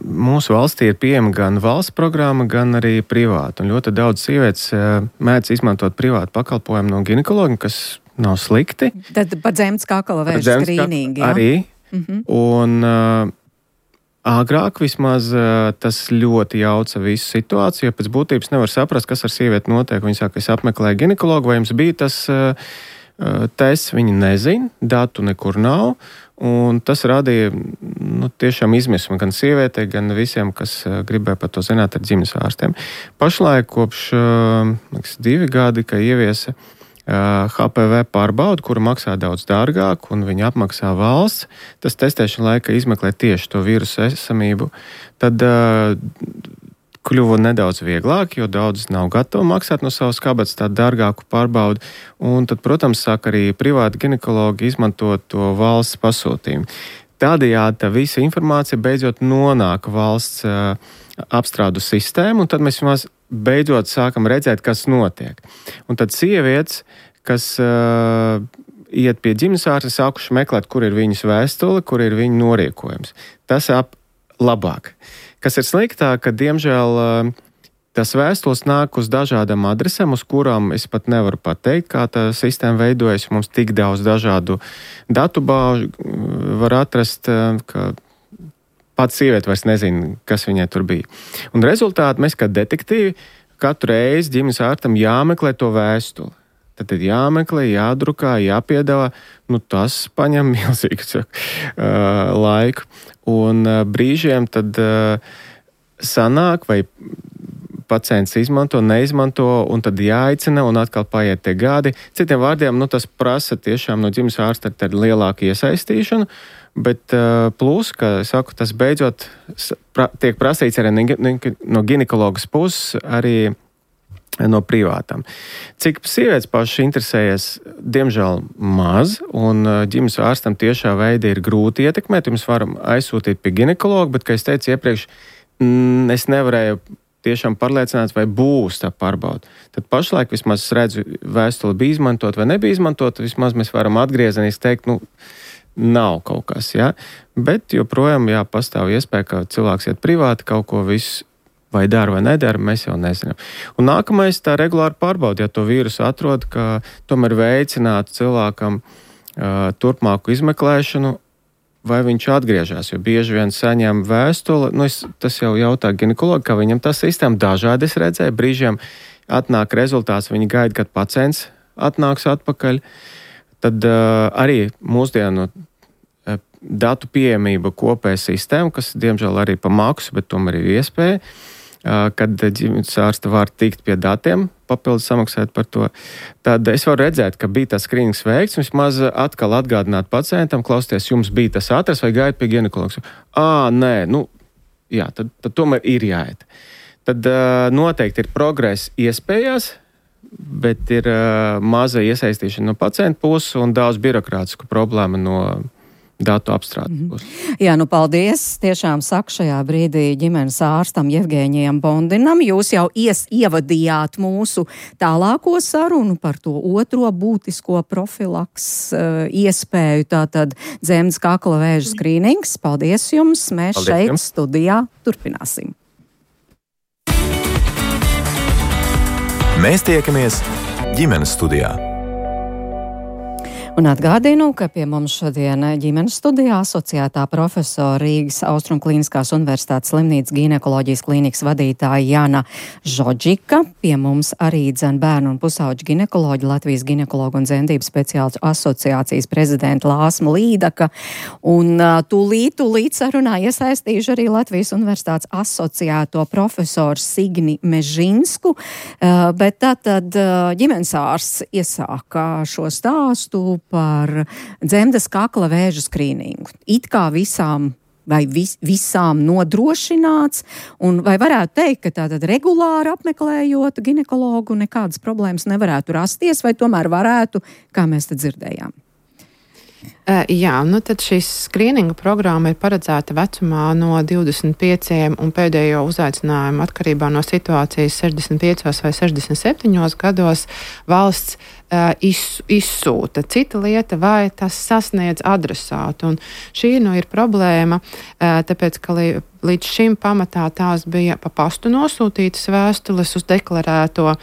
mūsu valstī ir pieejama gan valsts programma, gan arī privāta. Un ļoti daudz sievietes mēdz izmantot privātu pakalpojumu no ginekologa, kas nav slikti. Tad par dzemdas kakla vēža skrīningu, jā? Arī. Un agrāk vismaz tas ļoti jauca visu situāciju, jo pēc būtības nevar saprast, kas ar sievieti notiek. Viņa saka, es apmeklēju ginekologu, vai jums bija tas tests, viņi nezina, datu nekur nav. Un tas radīja tiešām izmismu gan sievietei, gan visiem, kas gribēja par to zināt ar ģimenes ārstiem. Pašlaik kopš 2 gadi, ka ieviesa HPV pārbaudu, kura maksā daudz dārgāk, un viņa apmaksā valsts, tas testēšana laika izmeklē tieši to vīrusu esamību, tad kļuva nedaudz vieglāk, jo daudz nav gatavi maksāt no savas kabatas tādu dārgāku pārbaudu, un tad, protams, sāk arī privāti ginekologi izmantot to valsts pasūtījumu. Tādējādi tā visa informācija beidzot nonāk valsts apstrādu sistēmu, un tad mēs beidzot sākam redzēt, kas notiek. Un tad sievietes, kas iet pie ģimenes ārsta, sākuši meklēt, kur ir viņas vēstule, kur ir viņu noriekojums. Tas labāk. Kas ir sliktāk, ka, diemžēl, tas vēstules nāk uz dažādām adresēm, uz kurām es pat nevaru pateikt, kā tā sistēma veidojas. Mums tik daudz dažādu datubāžu var atrast, ka pats sieviete vairs nezina, kas viņai tur bija. Un rezultāti mēs kā detektīvi katru reizi ģimenes ārstam jāmeklē to vēstuli. Tad jāmeklē, jādrukā, jāpiedāvā. Tas paņem milzīgu laiku. Un brīžiem tad sanāk, vai pacients izmanto, neizmanto, un tad jāaicina, un atkal paiet tie gadi. Citiem vārdiem, tas prasa tiešām no ģimenes ārsta lielāku iesaistīšanu, bet plus, ka saku, tas beidzot tiek prasīts arī no ginekologas puses, arī no privātām. Cik sievietes pašas interesējas, diemžēl maz, un ģimenes ārstam tiešā veida ir grūti ietekmēt. Mēs varam aizsūtīt pie ginekologa, bet, kā es teicu iepriekš, es nevarēju tiešām pārliecināt, vai būs tā pārbauda. Tad pašlaik vismaz es redzu, vēstule bija izmantot vai nebija izmantot, vismaz mēs varam atgriezeniski teikt, nav kaut kas, ja? Bet joprojām, pastāv iespēja, ka cilvēks iet privāti, kaut ko visu vai dara vai nedara, mēs jau nezinām. Un nākamais tā regulāri pārbauda, ja to vīrusu atrod, ka tomēr veicinātu cilvēkam turpmāku izmeklēšanu, vai viņš atgriežas, jo bieži vien saņem vēstuli, tas jau jautā ginekologi, ka viņam tā sistēma dažādi es redzēju, brīžiem atnāk rezultāts, viņi gaida, kad pacients atnāks atpakaļ, tad arī mūsdienu datu pieejamība kopēja sistēma, kas diemžēl arī pa maksu, bet tomēr ir iespēja, kad ģimenes ārsta var tikt pie datiem, papildus samaksāt par to. Tad es varu redzēt, ka bija tas skrīnings veikts, vismaz atkal atgādināt pacientam, klausieties, jums bija tas atrasts vai gaidu pie ginekologa. Nē, tad tomēr ir jāiet. Tad noteikti ir progress iespējās, bet ir maza iesaistīšana no pacienta puses un daudz birokrātisku problēmu no datu apstrādes. Jā, paldies. Tiešām saku šajā brīdī ģimenes ārstam Jevgēņijam Bondinam. Jūs jau ievadījāt mūsu tālāko sarunu par to otro būtisko profilaks iespēju, tātad dzemdes kakla vēža skrīnings. Paldies jums. Mēs šeit studijā turpināsim. Mēs tiekamies ģimenes studijā. Un atgādinu, ka pie mums šodien ģimenes studijā asociētā profesora Rīgas Austrumklīniskās universitātes slimnīcas ginekoloģijas klīnikas vadītāja Jana Žodžika. Pie mums arī bērnu un pusauģu ginekoloģi Latvijas ginekologu un dzemdību speciālistu asociācijas prezidenta Lāsma Līdaka. Un tūlīt sarunā iesaistīšu arī Latvijas universitātes asociēto profesoru Signi Mežinsku. Bet tātad ģimenes ārsts iesāka šo stāstu par dzemdes kakla vēža skrīningu. It kā visām nodrošināts, un vai varētu teikt, ka tātad regulāri apmeklējot ginekologu nekādas problēmas nevarētu rasties, vai tomēr varētu, kā mēs te dzirdējām? Jā, tad šīs skrīninga programma ir paredzēta vecumā no 25 un pēdējo uzaicinājumu atkarībā no situācijas 65 vai 67 gados valsts izsūta. Cita lieta, vai tas sasniedz adresātu. Un šī ir problēma, tāpēc, ka līdz šim pamatā tās bija pa pastu nosūtītas vēstules uz deklarēto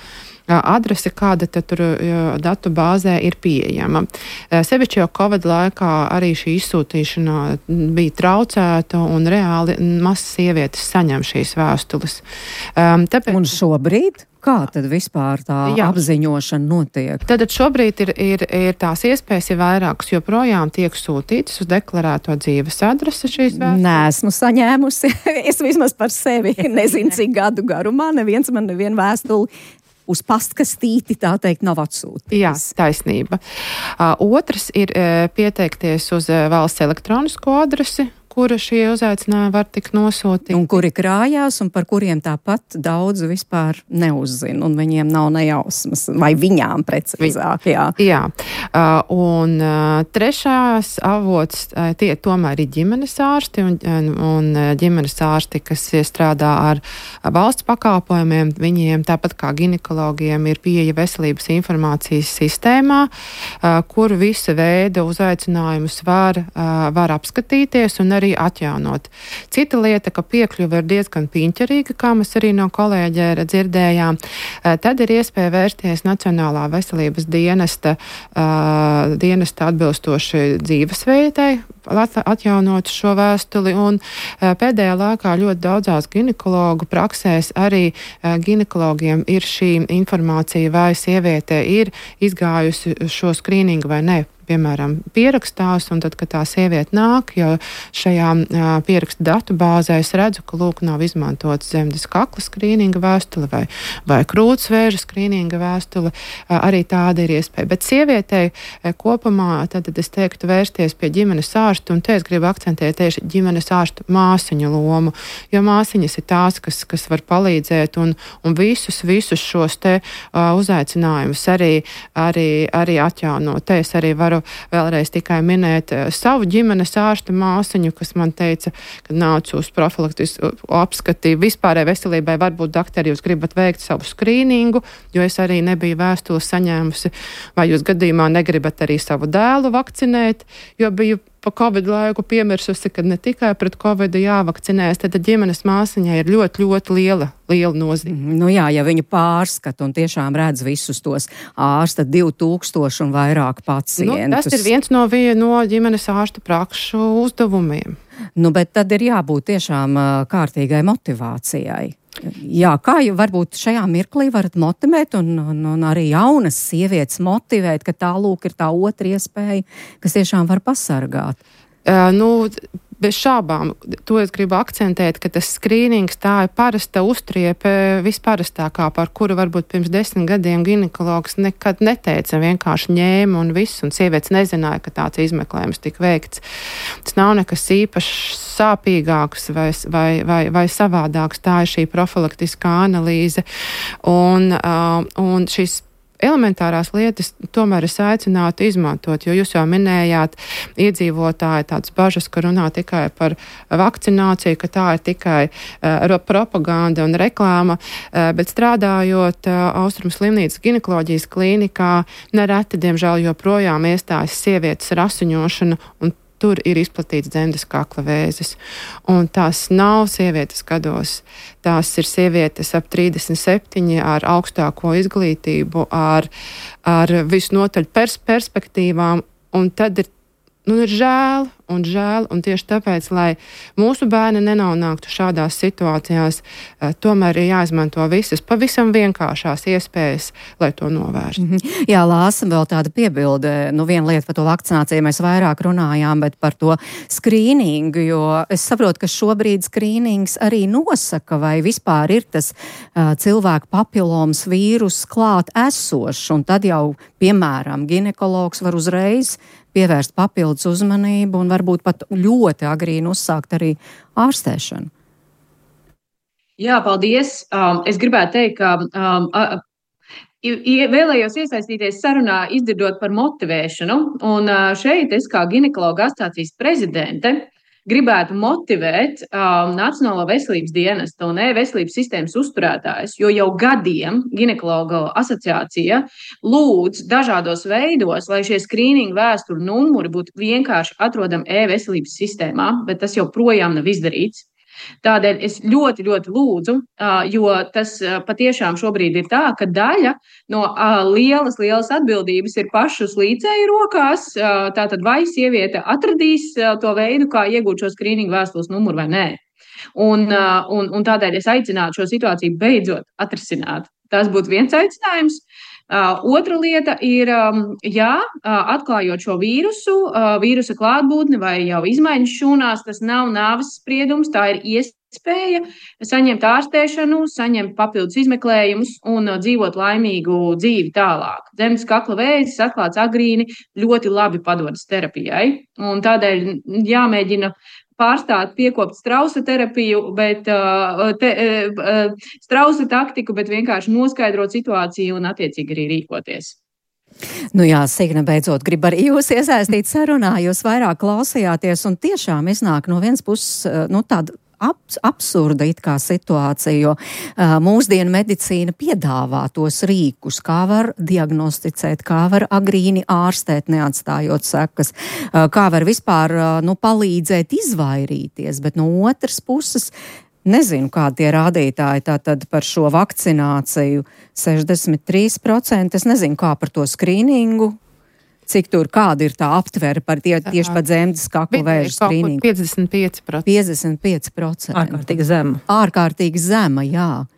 adrese, kāda tur datu bāzē ir pieejama. Sevišķi jau Covid laikā arī šī izsūtīšana bija traucēta un reāli maz sievietes saņem šīs vēstules. Un šobrīd? Kā tad vispār tā apziņošana notiek? Tad šobrīd ir tās iespējas ir vairākas, joprojām tiek sūtītas uz deklarēto dzīves adresi šīs vēstules. Nesmu saņēmusi. Es vismaz par sevi nezinu, cik gadu garumā neviens man nevienu vēstuli uz pastkastīti, tā teikt, nav atsūtīts. Jā, taisnība. Otrs ir pieteikties uz valsts elektronisko adresi, kura šie uzaicinājumi var tikt nosūtīti. Un kuri krājās, un par kuriem tāpat daudz vispār neuzzina, un viņiem nav nejausmas, vai viņām precīzāk. Jā. Un trešās avots, tie tomēr ir ģimenes ārsti, un ģimenes ārsti, kas strādā ar valsts pakalpojumiem, viņiem tāpat kā ginekologiem ir pieeja veselības informācijas sistēmā, kur visa veida uzaicinājumus var apskatīties, un arī arī atjaunot. Cita lieta, ka piekļuve ir diezgan piņķerīga, kā mēs arī no kolēģa dzirdējām, tad ir iespēja vērsties Nacionālā veselības dienesta atbilstoši dzīvesveidai, atjaunot šo vēstuli, un pēdējā laikā ļoti daudzās ginekologu praksēs arī ginekologiem ir šī informācija, vai sieviete ir izgājusi šo skrīningu vai ne. Piemēram, pierakstās, un tad, kad tā sieviete nāk, jo šajā pierakstu datu bāzē es redzu, ka lūk nav izmantots dzemdes kakla skrīninga vēstule vai krūtsvēža skrīninga vēstule, arī tāda ir iespēja. Bet sievietei kopumā, tad es teiktu vērsties pie ģimenes ārsta, un te es gribu akcentēt tieši ģimenes ārsta māsiņu lomu, jo māsiņas ir tās, kas var palīdzēt, un visus šos te uzaicinājumus arī atjaunot. Te es arī varu vēlreiz tikai minēt savu ģimenes ārsta māsiņu, kas man teica, kad nācu uz profilaktisku apskatīju vispārēji veselībai, varbūt, daktari, jūs gribat veikt savu skrīningu, jo es arī nebiju vēstuli saņēmusi, vai jūs gadījumā negribat arī savu dēlu vakcinēt, jo biju pa Covid laiku piemirsusi, ka ne tikai pret Covidu jāvakcinēs, tad ģimenes māsiņai ir ļoti, ļoti liela nozīme. Nu jā, ja viņa pārskata un tiešām redz visus tos ārsta 2000 un vairāk pacientus. Tas ir viens no ģimenes ārsta prakšu uzdevumiem. Bet tad ir jābūt tiešām kārtīgai motivācijai. Jā, kā jau varbūt šajā mirklī varat motivēt un arī jaunas sievietes motivēt, ka tā lūk ir tā otra iespēja, kas tiešām var pasargāt? Bez šābām, to es gribu akcentēt, ka tas skrīnings tā ir parasta uztriepe, visparastākā, par kuru varbūt pirms 10 gadiem ginekologs nekad neteica, vienkārši ņēma un viss, un sievietes nezināja, ka tāds izmeklējums tika veikts. Tas nav nekas īpaši sāpīgāks vai savādāks, tā ir šī profilaktiskā analīze, un šis elementārās lietas tomēr es aicinātu izmantot, jo jūs jau minējāt iedzīvotāji tādas bažas, ka runā tikai par vakcināciju, ka tā ir tikai propaganda un reklāma, bet strādājot Austrumu slimnīcas ginekoloģijas klīnikā, nereti, diemžēl, joprojām iestājas sievietes ar asiņošanu, un tur ir izplatīts dzemdes kakla vēzis. Un tās nav sievietes gados. Tās ir sievietes ap 37 ar augstāko izglītību, ar visnotaļ perspektīvām. Un tad ir žēl, un tieši tāpēc, lai mūsu bērni nenonāktu šādās situācijās, tomēr ir jāizmanto visas pavisam vienkāršās iespējas, lai to novērstu. Jā, Lāsa, vēl tāda piebilde. Viena lieta par to vakcināciju mēs vairāk runājām, bet par to skrīningu, jo es saprotu, ka šobrīd skrīnings arī nosaka, vai vispār ir tas cilvēku papilomas vīrus klāt esošs, un tad jau, piemēram, ginekologs var uzreiz pievērst papildus uzmanību un varbūt pat ļoti agrīni uzsākt arī ārstēšanu. Jā, paldies. Es gribētu teikt, ka vēlējos iesaistīties sarunā, izdzirdot par motivēšanu. Un šeit es kā ginekologa asociācijas prezidente gribētu motivēt Nacionālo veselības dienestu un e-veselības sistēmas uzturētājus, jo jau gadiem ginekologa asociācija lūdz dažādos veidos, lai šie skrīningu vēsturu numuri būtu vienkārši atrodami e-veselības sistēmā, bet tas joprojām nav izdarīts. Tādēļ es ļoti, ļoti lūdzu, jo tas patiešām šobrīd ir tā, ka daļa no lielas atbildības ir pašu slīcēju rokās. Tātad vai sieviete atradīs to veidu, kā iegūt šo skrīningu vēstules numuru vai nē. Un tādēļ es aicinātu šo situāciju beidzot atrisināt. Tas būtu viens aicinājums. Otra lieta ir, atklājot šo vīrusa klātbūtni vai jau izmaiņas šūnās, tas nav nāves spriedums, tā ir iespēja saņemt ārstēšanu, saņemt papildus izmeklējumus un dzīvot laimīgu dzīvi tālāk. Dzemdes kakla vēzis atklāts agrīni ļoti labi padodas terapijai, un tādēļ jāmēģina pārstāt piekopt strausa terapiju, strausa taktiku, bet vienkārši noskaidrot situāciju un attiecīgi arī rīkoties. Jā, Signe, beidzot, grib arī jūs iesaistīt sarunā, jūs vairāk klausījāties un tiešām iznāk no vienas puses, tāda absurda it kā situācija, jo mūsdienu medicīna piedāvā tos rīkus, kā var diagnosticēt, kā var agrīni ārstēt, neatstājot sekas, kā var vispār palīdzēt izvairīties, bet no otras puses nezinu, kādi tie rādītāji tātad par šo vakcināciju 63%, es nezinu, kā par to skrīningu. Cik tur, kāda ir tā aptvere par tieši par dzemdes kakla vēža skrīningu? 55%. 55%. Ārkārtīgi zema. Ārkārtīgi zema, jā.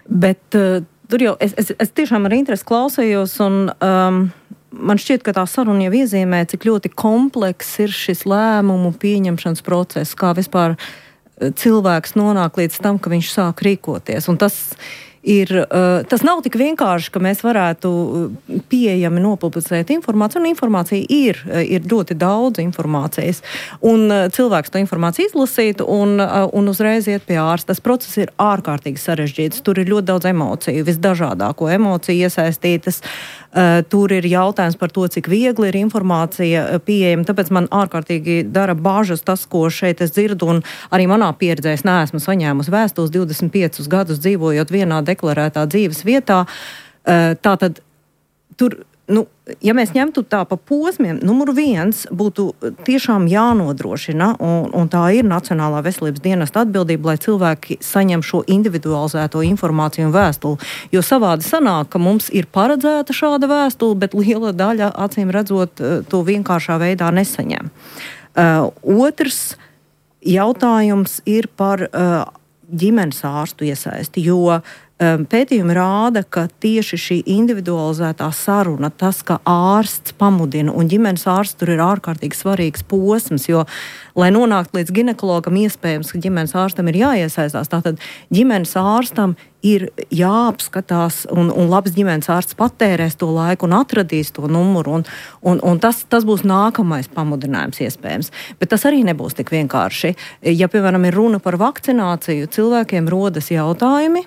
Bet tur jau es tiešām ar interesi klausējos un man šķiet, ka tā saruna jau iezīmē, cik ļoti komplekss ir šis lēmumu pieņemšanas process, kā vispār cilvēks nonāk līdz tam, ka viņš sāk rīkoties. Un tas nav tik vienkārši, ka mēs varētu pieejami nopublicēt informāciju, un informācija ir ļoti daudz informācijas. Un cilvēks to informāciju izlasīt un uzreiz iet pie ārsta. Tas process ir ārkārtīgi sarežģīts. Tur ir ļoti daudz emociju, visdažādāko emociju iesaistītas. Tur ir jautājums par to, cik viegli ir informācija pieejama. Tāpēc man ārkārtīgi dara bāžas tas, ko šeit es dzirdu, un arī manā pieredzē es neesmu saņēmusi vēstules 25 gadus dzīvojot vienā deklarētā dzīves vietā. Tātad tur, ja mēs ņemtu tā pa posmiem, numur 1 būtu tiešām jānodrošina, un tā ir Nacionālā veselības dienesta atbildība, lai cilvēki saņem šo individualizēto informāciju un vēstuli. Jo savādi sanāk, ka mums ir paredzēta šāda vēstule, bet liela daļa, acīm redzot, to vienkāršā veidā nesaņem. Otrs jautājums ir par ģimenes ārstu iesaisti, jo pētījumi rāda, ka tieši šī individualizētā saruna, tas, ka ārsts pamudina, un ģimenes ārsts tur ir ārkārtīgi svarīgs posms, jo, lai nonāktu līdz ginekologam, iespējams, ka ģimenes ārstam ir jāiesaistās. Tātad ģimenes ārstam ir jāapskatās, un labs ģimenes ārsts patērēs to laiku un atradīs to numuru, un tas būs nākamais pamudinājums iespējams. Bet tas arī nebūs tik vienkārši. Ja, piemēram, ir runa par vakcināciju, cilvēkiem rodas jautājumi,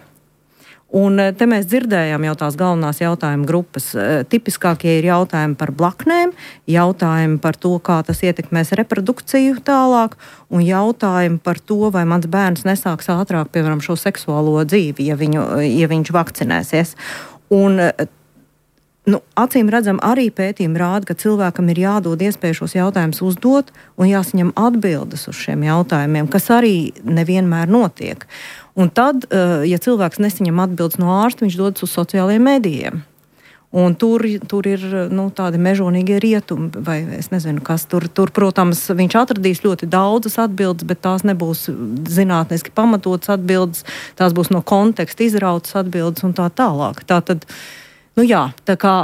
un te mēs dzirdējām jau tās galvenās jautājuma grupas. Tipiskākie ir jautājumi par blaknēm, jautājumi par to, kā tas ietekmēs reprodukciju tālāk, un jautājumi par to, vai mans bērns nesāks ātrāk, piemēram, šo seksuālo dzīvi, ja viņš vakcinēsies. Un acīm redzam, arī pētījumi rāda, ka cilvēkam ir jādod iespēju šos jautājumus uzdot un jāsaņem atbildes uz šiem jautājumiem, kas arī nevienmēr notiek. Un tad, ja cilvēks nesaņem atbildes no ārsta, viņš dodas uz sociālajiem medijiem. Un tur ir tādi mežonīgie rietumi, vai es nezinu, kas tur, protams, viņš atradīs ļoti daudzas atbildes, bet tās nebūs zinātniski pamatotas atbildes, tās būs no konteksta izrautas atbildes un tā tālāk. Tātad, tā kā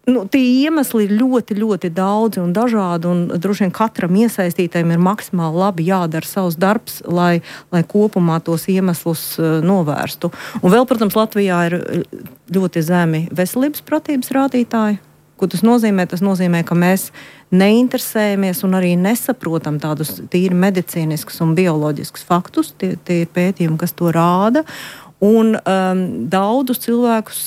tie iemesli ir ļoti, ļoti daudzi un dažādi, un droši vien katram iesaistītājiem ir maksimāli labi jādara savs darbs, lai kopumā tos iemeslus novērstu. Un vēl, protams, Latvijā ir ļoti zemi veselības pratības rādītāji. Ko tas nozīmē? Tas nozīmē, ka mēs neinteresējamies un arī nesaprotam tādus tīri medicīniskus un bioloģiskus faktus. Tie ir pētījumi, kas to rāda. Un daudzus cilvēkus,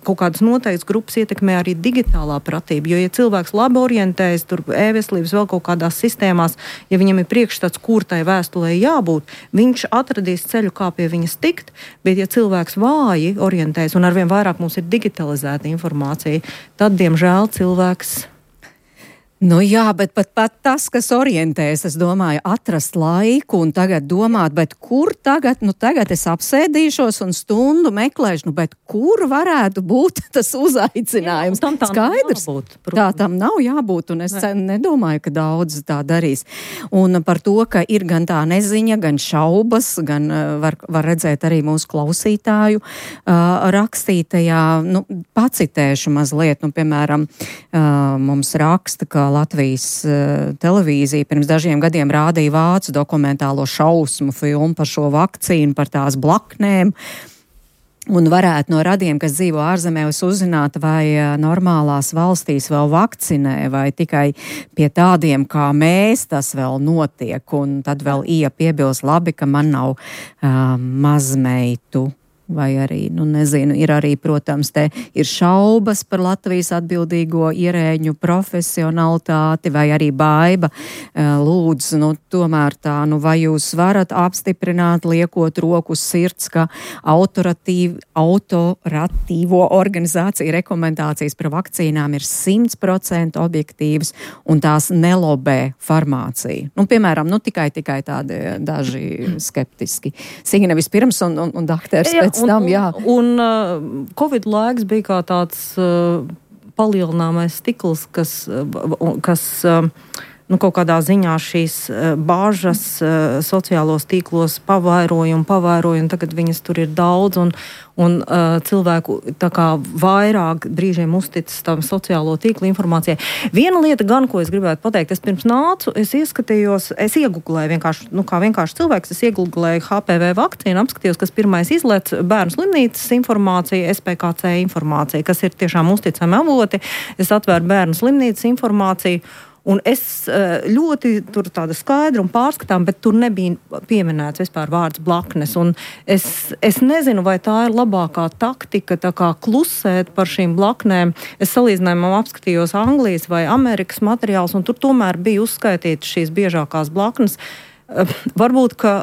kaut kādas noteiktas grupas ietekmē arī digitālā pratība, jo, ja cilvēks labi orientējas tur e-veselības vēl kaut kādās sistēmās, ja viņam ir priekšstats, kur tai vēstulē jābūt, viņš atradīs ceļu, kā pie viņas tikt, bet ja cilvēks vāji orientējas un arvien vairāk mums ir digitalizēta informācija, tad, diemžēl, cilvēks... Jā, bet pat tas, kas orientējas, es domāju, atrast laiku un tagad domāt, bet kur tagad, tagad es apsēdīšos un stundu meklēšu, bet kur varētu būt tas uzaicinājums? Jā, tam skaidrs, tā tam nav jābūt, un es nedomāju, ka daudz tā darīs. Un par to, ka ir gan tā neziņa, gan šaubas, gan var redzēt arī mūsu klausītāju rakstītajā, pacitēšu mazliet, piemēram, mums raksta, ka Latvijas televīzija pirms dažiem gadiem rādīja vācu dokumentālo šausmu filmu par šo vakcīnu, par tās blaknēm. Un varētu no radiem, kas dzīvo ārzemēs, uzzināt, vai normālās valstīs vēl vakcinē, vai tikai pie tādiem kā mēs tas vēl notiek. Un tad vēl piebilst labi, ka man nav mazmeitu. vai arī, nezinu, ir arī, protams, te ir šaubas par Latvijas atbildīgo ierēģu profesionalitāti, vai arī Baiba lūdzu, tomēr tā, vai jūs varat apstiprināt, liekot roku uz sirds, ka autoratīvo organizāciju rekomendācijas par vakcīnām ir 100% objektīvas un tās nelobē farmāciju. Piemēram, tikai tādi daži skeptiski. Signe vispirms un dakters pēc tam, jā. Un Covid laiks bija kā tāds palielināmais stikls, kas kaut kādā ziņā šīs bāžas sociālos tīklos pavairoja, un tagad viņas tur ir daudz, un cilvēku tā kā vairāk brīžiem uzticas tam sociālo tīklu informācijai. Viena lieta gan, ko es gribētu pateikt, es pirms nācu, es ieskatījos, es ieguglēju vienkārši, kā vienkārši cilvēks, es ieguglēju HPV vakcīnu, apskatījos, kas pirmais izlec bērnu slimnīcas informācija, SPKC informācija, kas ir tiešām uzticami avoti. Es atvēru bērnu slimnīcas informāciju, un es ļoti tur tāda skaidra un pārskatām, bet tur nebija pieminēts vispār vārds blaknes. Un es nezinu, vai tā ir labākā taktika, tā kā klusēt par šīm blaknēm. Es salīdzinājumā apskatījos Anglijas vai Amerikas materiālus, un tur tomēr bija uzskaitītas šīs biežākās blaknes. Varbūt, ka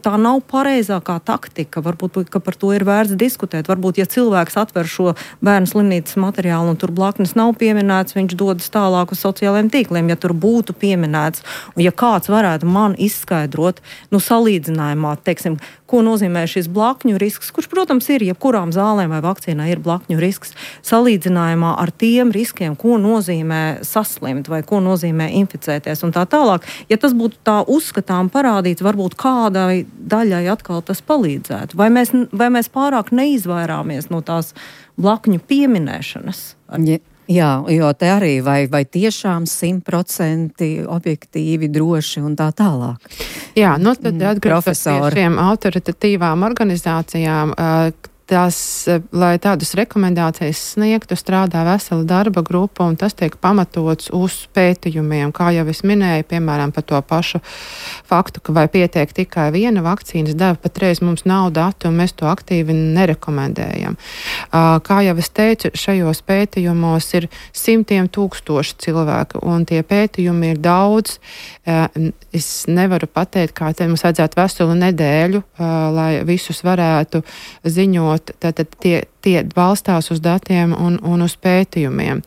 tā nav pareizākā taktika, varbūt, ka par to ir vērts diskutēt. Varbūt, ja cilvēks atver šo bērnu slimnīcas materiālu un tur blaknes nav pieminēts, viņš dodas tālāk uz sociālajiem tīkliem, ja tur būtu pieminēts. Un ja kāds varētu man izskaidrot, salīdzinājumā, teiksim, ko nozīmē šis blakņu risks, kurš, protams, ir jebkurām zālēm vai vakcīnai ir blakņu risks, salīdzinājumā ar tiem riskiem, ko nozīmē saslimt vai ko nozīmē inficēties un tā tālāk. Ja tas būtu tā uzskatām parādīts, varbūt kādai daļai atkal tas palīdzētu. Vai mēs pārāk neizvairāmies no tās blakņu pieminēšanas? Jā, jo te arī vai tiešām 100% objektīvi, droši un tā tālāk. Jā, tad atgriežoties pie šiem autoritatīvām organizācijām, lai tādas rekomendācijas sniegtu, strādā vesela darba grupa, un tas tiek pamatots uz pētījumiem. Kā jau es minēju, piemēram, par to pašu faktu, ka vai pietiek tikai viena vakcīnas deva, patreiz mums nav datu, un mēs to aktīvi nerekomendējam. Kā jau es teicu, šajos pētījumos ir 100,000 cilvēku, un tie pētījumi ir daudz. Es nevaru pateikt, kā te mums vajadzētu veselu nedēļu, lai visus varētu ziņot. Tātad tie balstās uz datiem un uz pētījumiem.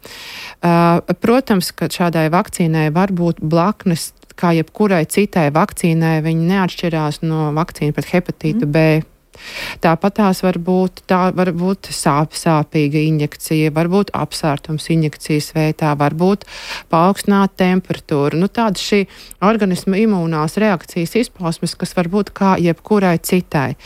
Protams, ka šādai vakcīnai var būt blaknes, kā jebkurai citai vakcīnai, viņi neatšķirās no vakcīna pret hepatītu B. Tāpat tās var būt sāpīga injekcija, varbūt apsārtums injekcijas veidā, varbūt paaugstināta temperatūra. Tāda šī organisma imūnās reakcijas izpausmes, kas var būt kā jebkurai citai.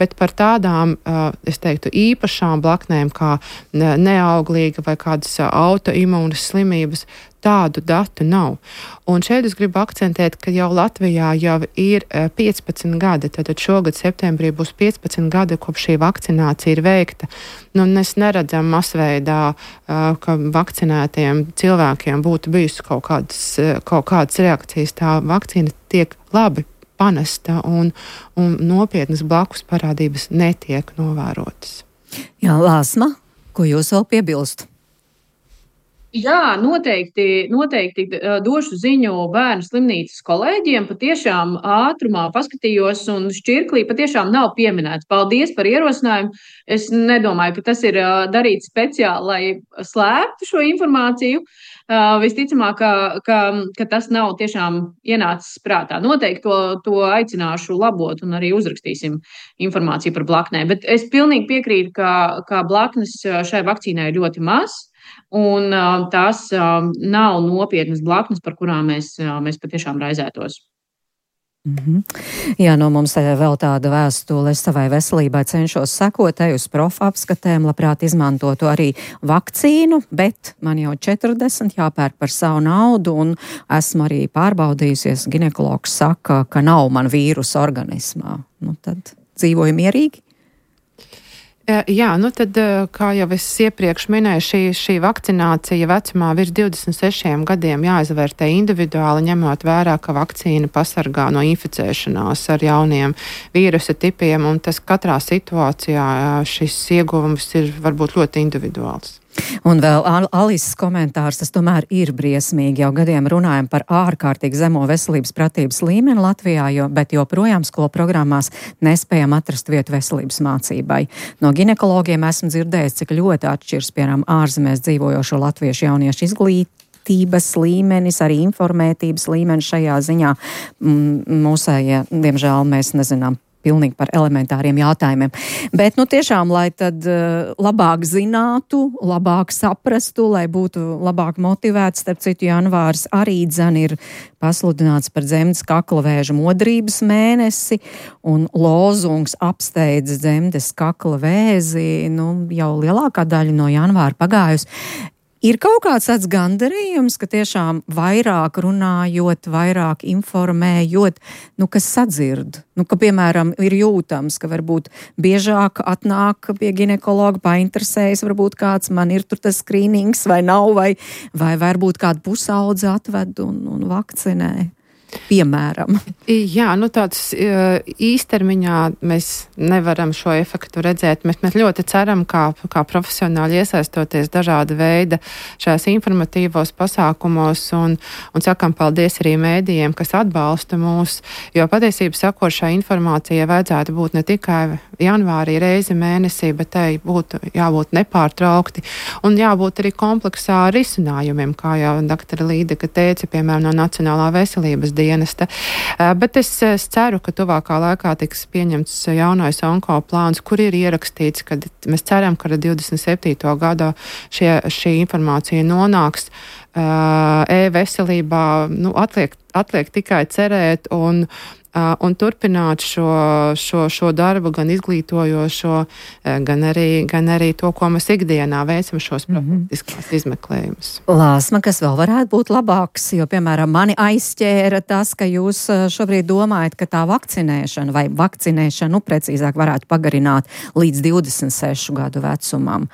Bet par tādām, es teiktu, īpašām blaknēm, kā neauglīga vai kādas autoimūnas slimības, tādu datu nav. Un šeit es gribu akcentēt, ka jau Latvijā jau ir 15 gadi, tātad šogad septembrī būs 15 gadi, kopš šī vakcinācija ir veikta. Mēs neredzam masveidā, ka vakcinētiem cilvēkiem būtu bijusi kaut kādas reakcijas. Tā vakcīna tiek labi panesta un nopietnas blakus parādības netiek novērotas. Jā, Lāsma, ko jūs vēl piebilst? Jā, noteikti došu ziņu bērnu slimnīcas kolēģiem. Patiešām ātrumā paskatījos un šķirklī patiešām nav pieminēts. Paldies par ierosinājumu. Es nedomāju, ka tas ir darīts speciāli, lai slēptu šo informāciju. Visticamāk, ka tas nav tiešām ienācis prātā. Noteikti to aicināšu labot un arī uzrakstīsim informāciju par blaknēm. Bet es pilnīgi piekrītu, ka blaknes šai vakcīnai ir ļoti maz. Un tās nav nopietnas blaknes, par kurām mēs patiešām raizētos. Jā, mums vēl tāda vēstule. Es savai veselībai cenšos sekot, uz profa apskatēm, labprāt izmantotu arī vakcīnu, bet man jau 40 jāpērk par savu naudu, un esmu arī pārbaudījusies. Ginekologs saka, ka nav man vīrusa organismā. Tad dzīvoju mierīgi. Jā, tad, kā jau es iepriekš minēju, šī vakcinācija vecumā virs 26 gadiem jāizvērtē individuāli, ņemot vērā, ka vakcīna pasargā no inficēšanās ar jauniem vīrusa tipiem, un tas katrā situācijā šis ieguvums ir varbūt ļoti individuāls. Un vēl Alises komentārs, tas tomēr ir briesmīgi. Jau gadiem runājam par ārkārtīgi zemo veselības pratības līmeni Latvijā, bet joprojām skolu programmās nespējam atrast vietu veselības mācībai. No ginekologiem esmu dzirdējis, cik ļoti atšķirs, piemēram, ārzemēs dzīvojošo latviešu jauniešu izglītības līmenis, arī informētības līmenis šajā ziņā. Mūsējie, diemžēl, mēs nezinām pilnīgi par elementāriem jautājumiem. Bet, tiešām, lai tad labāk zinātu, labāk saprastu, lai būtu labāk motivēts, starp citu, janvārs arī ir pasludināts par dzemdes kakla vēža modrības mēnesi, un lozungs apsteidz dzemdes kakla vēzi, jau lielākā daļa no janvāra pagājusi. Ir kaut kāds tāds gandarījums, ka tiešām vairāk runājot, vairāk informējot, kas sadzird. Ka, piemēram, ir jūtams, ka varbūt biežāk atnāk pie ginekologa, painteresējas, varbūt kāds man ir tur tas skrīnings vai nav, vai varbūt kādu pusaudzi atved un vakcinē. Piemēram. Jā, tāds īstermiņā mēs nevaram šo efektu redzēt. Mēs ļoti ceram, kā profesionāli iesaistoties dažāda veida šajās informatīvos pasākumos un sakam paldies arī mēdījiem, kas atbalsta mūs, jo patiesībā sakot, šai informācijai vajadzētu būt ne tikai janvārī reizi mēnesī, bet tai būtu jābūt nepārtraukti un jābūt arī kompleksā risinājumiem, kā jau doktora Līdeka teica, piemēram, no Nacionālā veselības dienesta. Bet es ceru, ka tuvākā laikā tiks pieņemts jaunais onko plāns, kur ir ierakstīts, ka mēs ceram, ka ar 27. gadu šī informācija nonāks e-veselībā. Atliek tikai cerēt un turpināt šo darbu, gan izglītojošo, gan arī to, ko mēs ikdienā veicam šos profilaktiskās izmeklējumus. Lāsma, kas vēl varētu būt labāks, jo, piemēram, mani aizķēra tas, ka jūs šobrīd domājat, ka tā vakcinēšanu precīzāk varētu pagarināt līdz 26 gadu vecumam.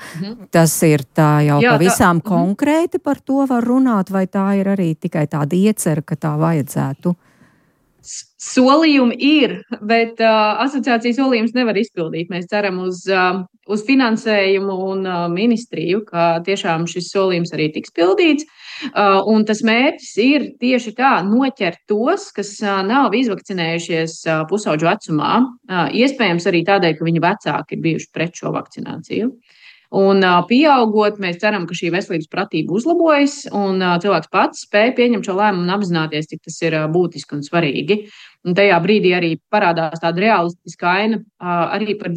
Tas ir tā jau pavisam konkrēti par to var runāt, vai tā ir arī tikai tāda iecerka, ka tā vajadzētu? Solījumi ir, bet asociācijas solījums nevar izpildīt. Mēs ceram uz finansējumu un ministriju, ka tiešām šis solījums arī tiks pildīts. Un tas mērķis ir tieši tā noķert tos, kas nav izvakcinējušies pusauģu vecumā. Iespējams arī tādēļ, ka viņu vecāki ir bijuši pret šo vakcināciju. Un pieaugot, mēs ceram, ka šī veselības pratība uzlabojas un cilvēks pats spēj pieņemt šo lēmumu un apzināties, cik tas ir būtiski un svarīgi. Un tajā brīdī arī parādās tāda realistiska aina arī par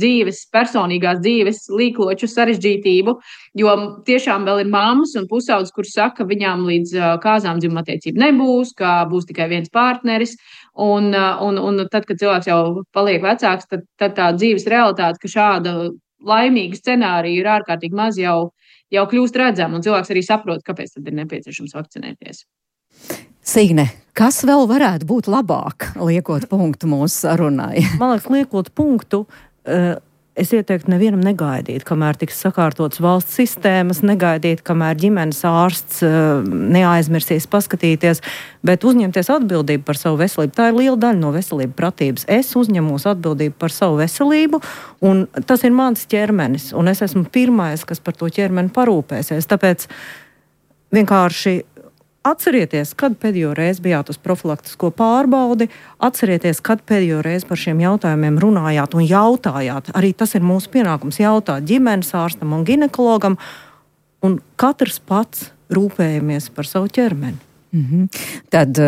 personīgās dzīves līkloču sarežģītību, jo tiešām vēl ir mammas un pusaudzes, kuras saka, ka viņām līdz kāzām dzimumatiecība nebūs, ka būs tikai viens partneris. Un tad, kad cilvēks jau paliek vecāks, tad tā dzīves realitāte, ka šāda laimīga scenārija ir ārkārtīgi maz, jau kļūst redzama, un cilvēks arī saprot, kāpēc tad ir nepieciešams vakcinēties. Signe, kas vēl varētu būt labāk, liekot punktu mūsu sarunai? Man liekas, liekot punktu, es ieteiktu nevienam negaidīt, kamēr tiks sakārtots valsts sistēmas, negaidīt, kamēr ģimenes ārsts neaizmirsīs paskatīties, bet uzņemties atbildību par savu veselību. Tā ir liela daļa no veselību pratības. Es uzņemos atbildību par savu veselību, un tas ir mans ķermenis, un es esmu pirmais, kas par to ķermeni parūpēsies. Tāpēc vienkārši atcerieties, kad pēdējo reizi bijāt uz profilaktisko pārbaudi, atcerieties, kad pēdējo reizi par šiem jautājumiem runājāt un jautājāt. Arī tas ir mūsu pienākums jautāt ģimenes ārstam un ginekologam, un katrs pats rūpējamies par savu ķermeni. Tad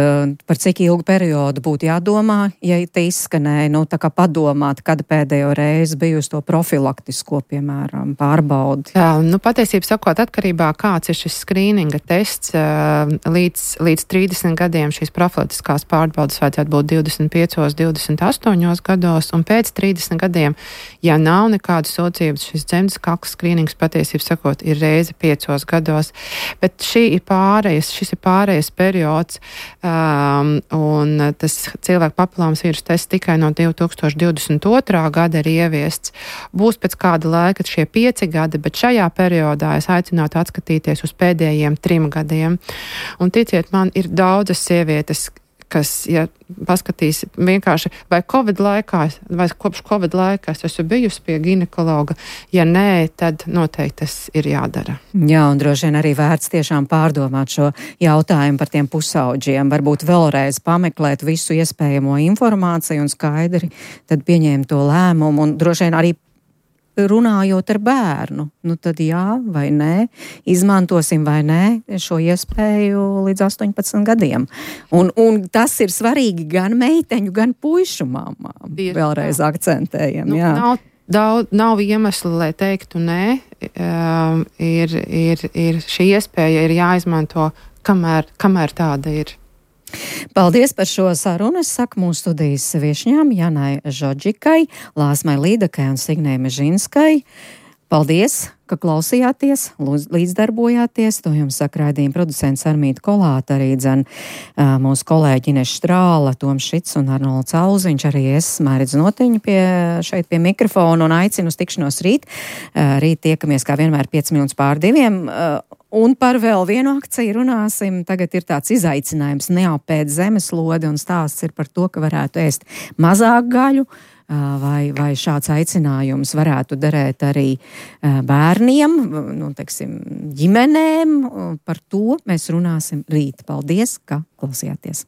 par cik ilgu periodu būtu jādomā, ja te izskanēja, tā kā padomāt, kad pēdējo reizi bijusi to profilaktisko, piemēram, pārbaudi? Jā, patiesībā sakot, atkarībā kāds ir šis skrīninga tests, līdz 30 gadiem šīs profilaktiskās pārbaudas vajadzētu būt 25, 28 gados, un pēc 30 gadiem, ja nav nekādas sūdzības, šis dzemdes kakla skrīnings patiesībā sakot ir reize 5 gados, bet šis ir pārējais periods, un tas cilvēku papillomas vīrusu tests tikai no 2022. Gada ir ieviests. Būs pēc kāda laika šie 5 gadi, bet šajā periodā es aicinātu atskatīties uz pēdējiem 3 gadiem. Un ticiet man, ir daudzas sievietes, kas, ja paskatīs vienkārši, vai Covid laikā, vai kopš Covid laikā es esmu bijusi pie ginekologa, ja nē, tad noteikti tas ir jādara. Jā, un droši vien arī vērts tiešām pārdomāt šo jautājumu par tiem pusauģiem, varbūt vēlreiz pameklēt visu iespējamo informāciju un skaidri tad pieņēmt to lēmumu, un droši vien arī runājot ar bērnu, tad jā vai nē, izmantosim vai nē šo iespēju līdz 18 gadiem. Un tas ir svarīgi gan meiteņu, gan puišu māmām. Vēlreiz akcentējam, jā. Nav iemesli, lai teiktu nē. Ir šī iespēja ir jāizmanto, kamēr tāda ir. Paldies par šo sarunu. Es saku mūsu studijas viešņām Janai Žodžikai, Lāsmai Līdakai un Signei Mežinskai. Paldies, ka klausījāties, līdzdarbojāties. To jums saka raidījuma producents Armīta Kolāta, arī mūsu kolēģi Ines Štrāla, Toms Šits un Arnolds Auziņš, arī es, Mairidz Notiņa, šeit pie mikrofona un aicinu uz tikšanos rīt. Rīt tiekamies kā vienmēr 5:05. Un par vēl vienu akciju runāsim. Tagad ir tāds izaicinājums neapēt zemeslodi, un stāsts ir par to, ka varētu ēst mazāk gaļu, vai šāds aicinājums varētu derēt arī bērniem, ģimenēm. Par to mēs runāsim rīt. Paldies, ka klausījāties!